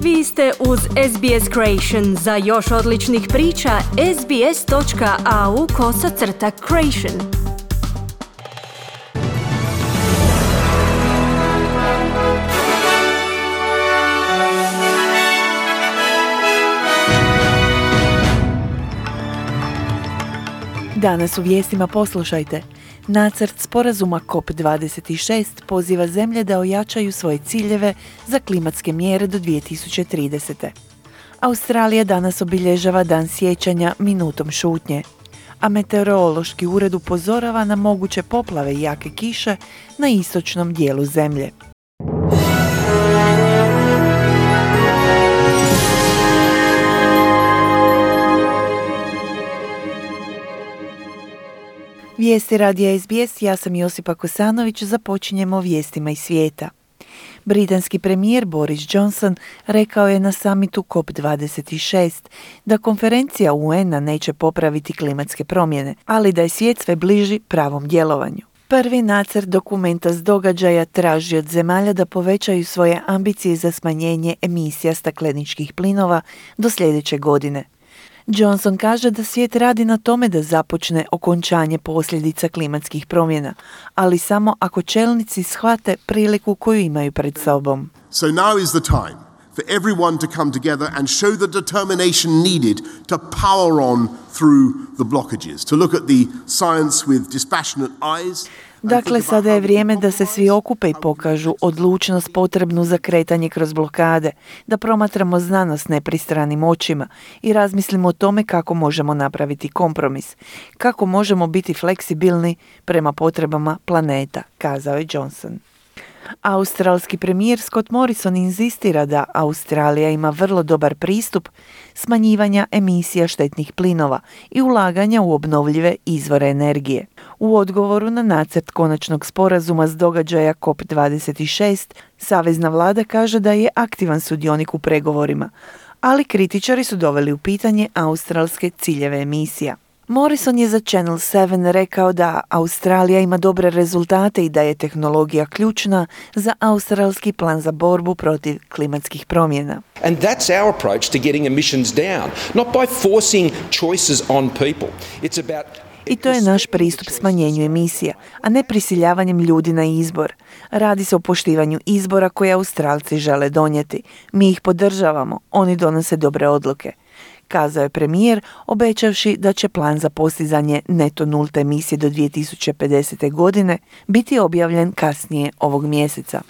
Vi ste uz SBS Creation. Za još odličnih priča, sbs.au/creation. Danas u vijestima poslušajte. Nacrt sporazuma COP26 poziva zemlje da ojačaju svoje ciljeve za klimatske mjere do 2030. Australija danas obilježava dan sjećanja minutom šutnje, a meteorološki ured upozorava na moguće poplave i jake kiše na istočnom dijelu zemlje. Vijesti radija SBS, ja sam Josipa Kosanović, započinjemo vijestima iz svijeta. Britanski premijer Boris Johnson rekao je na samitu COP26 da konferencija UN-a neće popraviti klimatske promjene, ali da je svijet sve bliži pravom djelovanju. Prvi nacrt dokumenta s događaja traži od zemalja da povećaju svoje ambicije za smanjenje emisija stakleničkih plinova do sljedeće godine. Johnson kaže da svijet radi na tome da započne okončanje posljedica klimatskih promjena, ali samo ako čelnici shvate priliku koju imaju pred sobom. So now is the time for everyone to come together and show the determination needed to power on through the blockages, to look at the science with dispassionate eyes. Dakle, sada je vrijeme da se svi okupe i pokažu odlučnost potrebnu za kretanje kroz blokade, da promatramo znanost nepristranim očima i razmislimo o tome kako možemo napraviti kompromis, kako možemo biti fleksibilni prema potrebama planeta, kazao je Johnson. Australski premijer Scott Morrison inzistira da Australija ima vrlo dobar pristup smanjivanja emisija štetnih plinova i ulaganja u obnovljive izvore energije. U odgovoru na nacrt konačnog sporazuma s događaja COP26, savezna vlada kaže da je aktivan sudionik u pregovorima, ali kritičari su doveli u pitanje australske ciljeve emisija. Morrison je za Channel 7 rekao da Australija ima dobre rezultate i da je tehnologija ključna za australski plan za borbu protiv klimatskih promjena. And that's our approach to getting emissions down, not by forcing choices on people. It's about I to je naš pristup smanjenju emisija, a ne prisiljavanjem ljudi na izbor. Radi se o poštivanju izbora koje Australci žele donijeti. Mi ih podržavamo, oni donose dobre odluke, kazao je premijer, obećavši da će plan za postizanje neto nulte emisije do 2050. godine biti objavljen kasnije ovog mjeseca.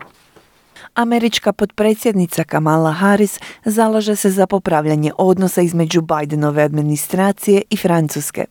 Američka potpredsjednica Kamala Harris zalaže se za popravljanje odnosa između Bidenove administracije i Francuske.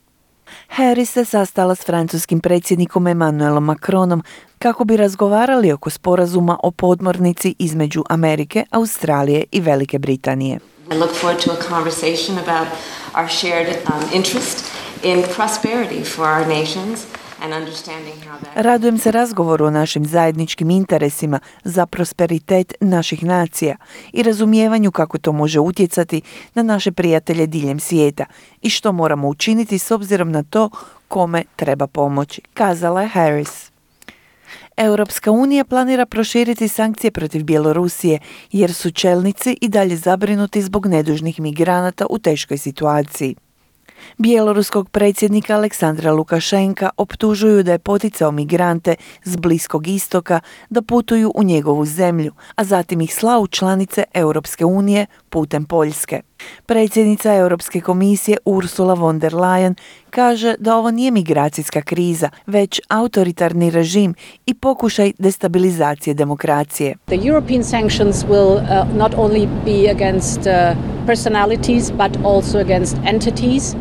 Harris se sastala s francuskim predsjednikom Emmanuelom Macronom kako bi razgovarali oko sporazuma o podmornici između Amerike, Australije i Velike Britanije. I look forward to a conversation about our shared interest in prosperity for our nations and understanding how that... Radujem se razgovoru o našim zajedničkim interesima za prosperitet naših nacija i razumijevanju kako to može utjecati na naše prijatelje diljem svijeta i što moramo učiniti s obzirom na to kome treba pomoći, kazala je Harris. Europska unija planira proširiti sankcije protiv Bjelorusije jer su čelnici i dalje zabrinuti zbog nedužnih migranata u teškoj situaciji. Bjeloruskog predsjednika Aleksandra Lukašenka optužuju da je poticao migrante s Bliskog istoka da putuju u njegovu zemlju, a zatim ih slao u članice Europske unije putem Poljske. Predsjednica Europske komisije Ursula von der Leyen kaže da ovo nije migracijska kriza, već autoritarni režim i pokušaj destabilizacije demokracije. The European sanctions will not only be against personalities but also against entities.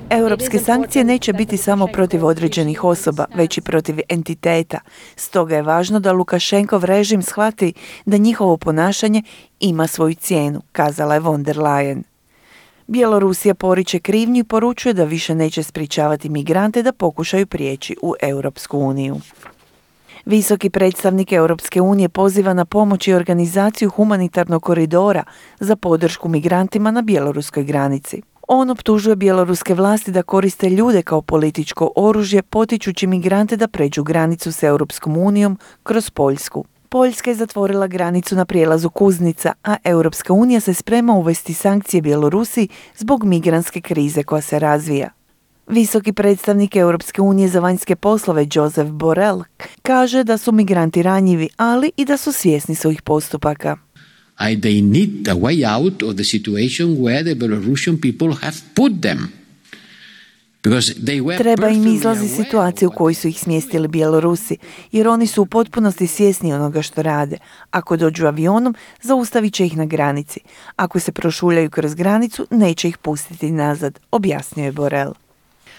Europske sankcije neće biti samo protiv određenih osoba, već i protiv entiteta. Stoga je važno da Lukašenkov režim shvati da njihovo ponašanje ima svoju cijenu, kazala je von der Leyen. Bjelorusija poriče krivnju i poručuje da više neće sprječavati migrante da pokušaju prijeći u Europsku uniju. Visoki predstavnik Europske unije poziva na pomoć i organizaciju humanitarnog koridora za podršku migrantima na bjeloruskoj granici. On optužuje bjeloruske vlasti da koriste ljude kao političko oružje, potičući migrante da pređu granicu s Europskom unijom kroz Poljsku. Poljska je zatvorila granicu na prijelazu Kuznica, a Europska unija se sprema uvesti sankcije Bjelorusiji zbog migrantske krize koja se razvija. Visoki predstavnik Europske unije za vanjske poslove Josep Borrell kaže da su migranti ranjivi, ali i da su svjesni svojih postupaka. They need a way out of the situation where the Belarusian people have put them. Treba im izlazi situacije u kojoj su ih smjestili Bjelorusi, jer oni su u potpunosti svjesni onoga što rade. Ako dođu avionom, zaustavit će ih na granici. Ako se prošuljaju kroz granicu, neće ih pustiti nazad, objasnio je Borrell.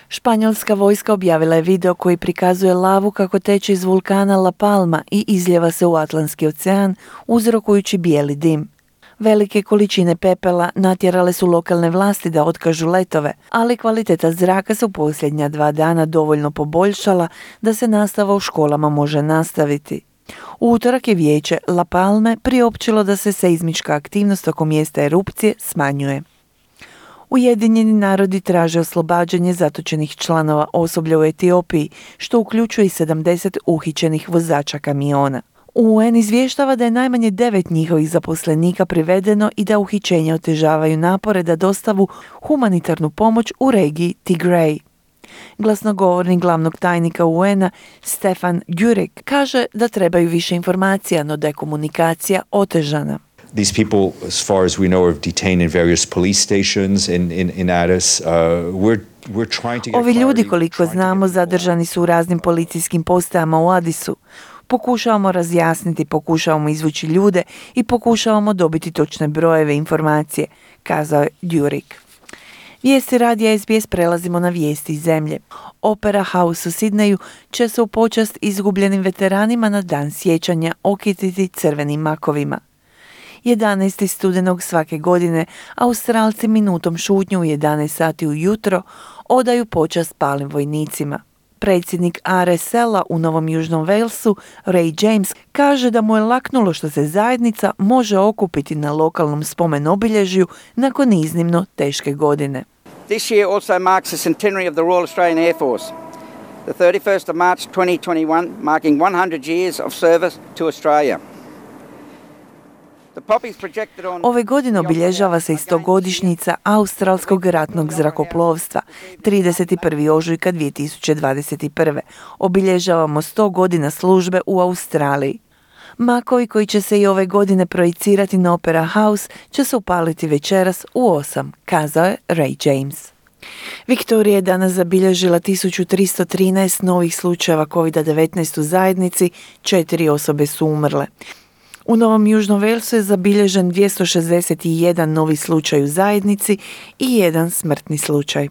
Španjolska vojska objavila je video koji prikazuje lavu kako teče iz vulkana La Palma i izljeva se u Atlantski ocean, uzrokujući bijeli dim. Velike količine pepela natjerale su lokalne vlasti da otkažu letove, ali kvaliteta zraka se u posljednja 2 dana dovoljno poboljšala da se nastava u školama može nastaviti. U utorak je vijeće La Palme priopćilo da se seizmička aktivnost oko mjesta erupcije smanjuje. Ujedinjeni narodi traže oslobađanje zatočenih članova osoblja u Etiopiji, što uključuje i 70 uhićenih vozača kamiona. UN izvještava da je najmanje 9 njihovih zaposlenika privedeno i da uhićenja otežavaju napore da dostavu humanitarnu pomoć u regiji Tigray. Glasnogovornik glavnog tajnika UN-a Stefan Dujarric kaže da trebaju više informacija, no da je komunikacija otežana. These people, as far as we know, are detained in various police stations in Addis. We're trying to get Ovi ljudi, clarity, koliko znamo, zadržani su u raznim policijskim postajama u Adisu. Pokušavamo razjasniti, pokušavamo izvući ljude i pokušavamo dobiti točne brojeve informacije, kazao je Dujarric. Vijesti radija SBS prelazimo na vijesti iz zemlje. Opera House u Sidneju će se u počast izgubljenim veteranima na dan sjećanja okititi crvenim makovima. 11. studenog svake godine Australci minutom šutnju u 11 sati ujutro odaju počast palim vojnicima. Predsjednik RSL-a u Novom Južnom Walesu, Ray James, kaže da mu je laknulo što se zajednica može okupiti na lokalnom spomen obilježju nakon iznimno teške godine. This year also marks the centenary of the Royal Australian Air Force, the 31st of March 2021, marking 100 years of service to Australia. Ove godine obilježava se i 100-godišnjica Australskog ratnog zrakoplovstva, 31. ožujka 2021. Obilježavamo 100 godina službe u Australiji. Makovi koji će se i ove godine projicirati na Opera House će se upaliti večeras u 8, kazao je Ray James. Viktorija je danas zabilježila 1313 novih slučajeva COVID-19 u zajednici, 4 osobe su umrle. U Novom Južnom Walesu je zabilježen 261 novi slučaj u zajednici i 1 smrtni slučaj.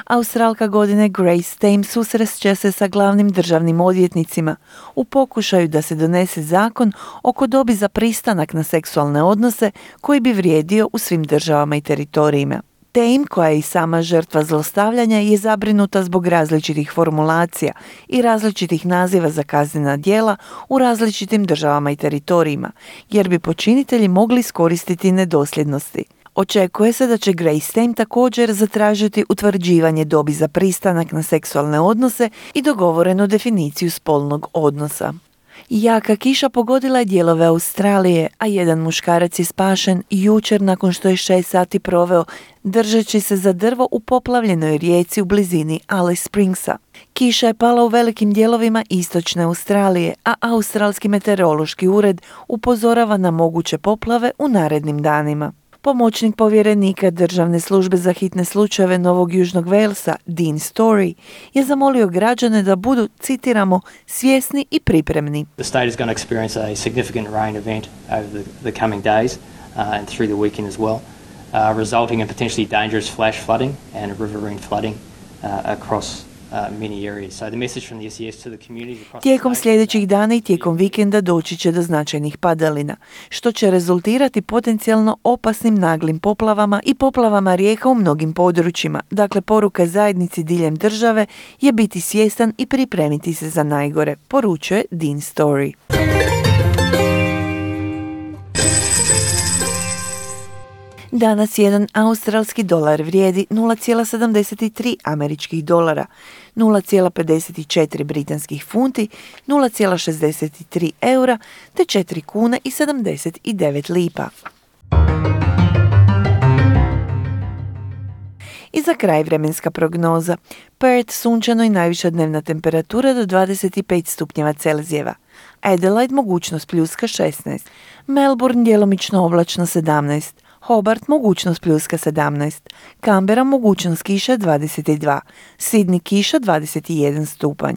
Australka godine Grace Tame susreće se sa glavnim državnim odvjetnicima u pokušaju da se donese zakon oko dobi za pristanak na seksualne odnose koji bi vrijedio u svim državama i teritorijima. Tame, koja je i sama žrtva zlostavljanja, je zabrinuta zbog različitih formulacija i različitih naziva za kaznena djela u različitim državama i teritorijima, jer bi počinitelji mogli iskoristiti nedosljednosti. Očekuje se da će Grace Tame također zatražiti utvrđivanje dobi za pristanak na seksualne odnose i dogovorenu definiciju spolnog odnosa. Jaka kiša pogodila je dijelove Australije, a jedan muškarac je spašen jučer nakon što je 6 sati proveo držeći se za drvo u poplavljenoj rijeci u blizini Alice Springsa. Kiša je pala u velikim dijelovima istočne Australije, a Australski meteorološki ured upozorava na moguće poplave u narednim danima. Pomoćnik povjerenika Državne službe za hitne slučajeve Novog Južnog Walesa, Dean Story, je zamolio građane da budu, citiramo, svjesni i pripremni. The state is going to experience a significant rain event over the coming days and through the weekend as well, resulting in potentially dangerous flash flooding and riverine flooding across many areas. So the message from the SES to the communities across Tijekom sljedećih dana i tijekom vikenda doći će do značajnih padalina, što će rezultirati potencijalno opasnim naglim poplavama i poplavama rijeka u mnogim područjima. Dakle, poruka zajednici diljem države je biti svjestan i pripremiti se za najgore, poručuje Dean Story. Danas jedan australski dolar vrijedi 0,73 američkih dolara, 0,54 britanskih funti, 0,63 eura te 4 kuna i 79 lipa. I za kraj vremenska prognoza. Perth sunčano i najviša dnevna temperatura do 25 stupnjeva Celzijeva. Adelaide mogućnost pljuska 16. Melbourne djelomično oblačno 17. Hobart mogućnost pljuska 17. Canberra mogućnost kiša 22. Sydney kiša 21 stupanj.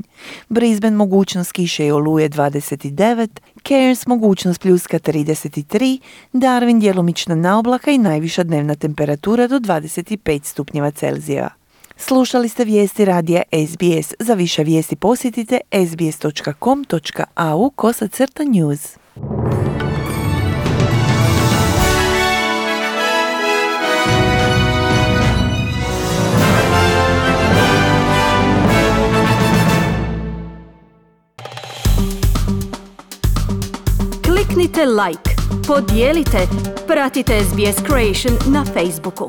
Brisbane mogućnost kiše i oluje 29. Cairns mogućnost pljuska 33. Darwin djelomična naoblaka i najviša dnevna temperatura do 25 stupnjeva Celzijeva. Slušali ste vijesti radija SBS. Za više vijesti posjetite sbs.com.au/news. Kliknite like, podijelite, pratite SBS Creation na Facebooku.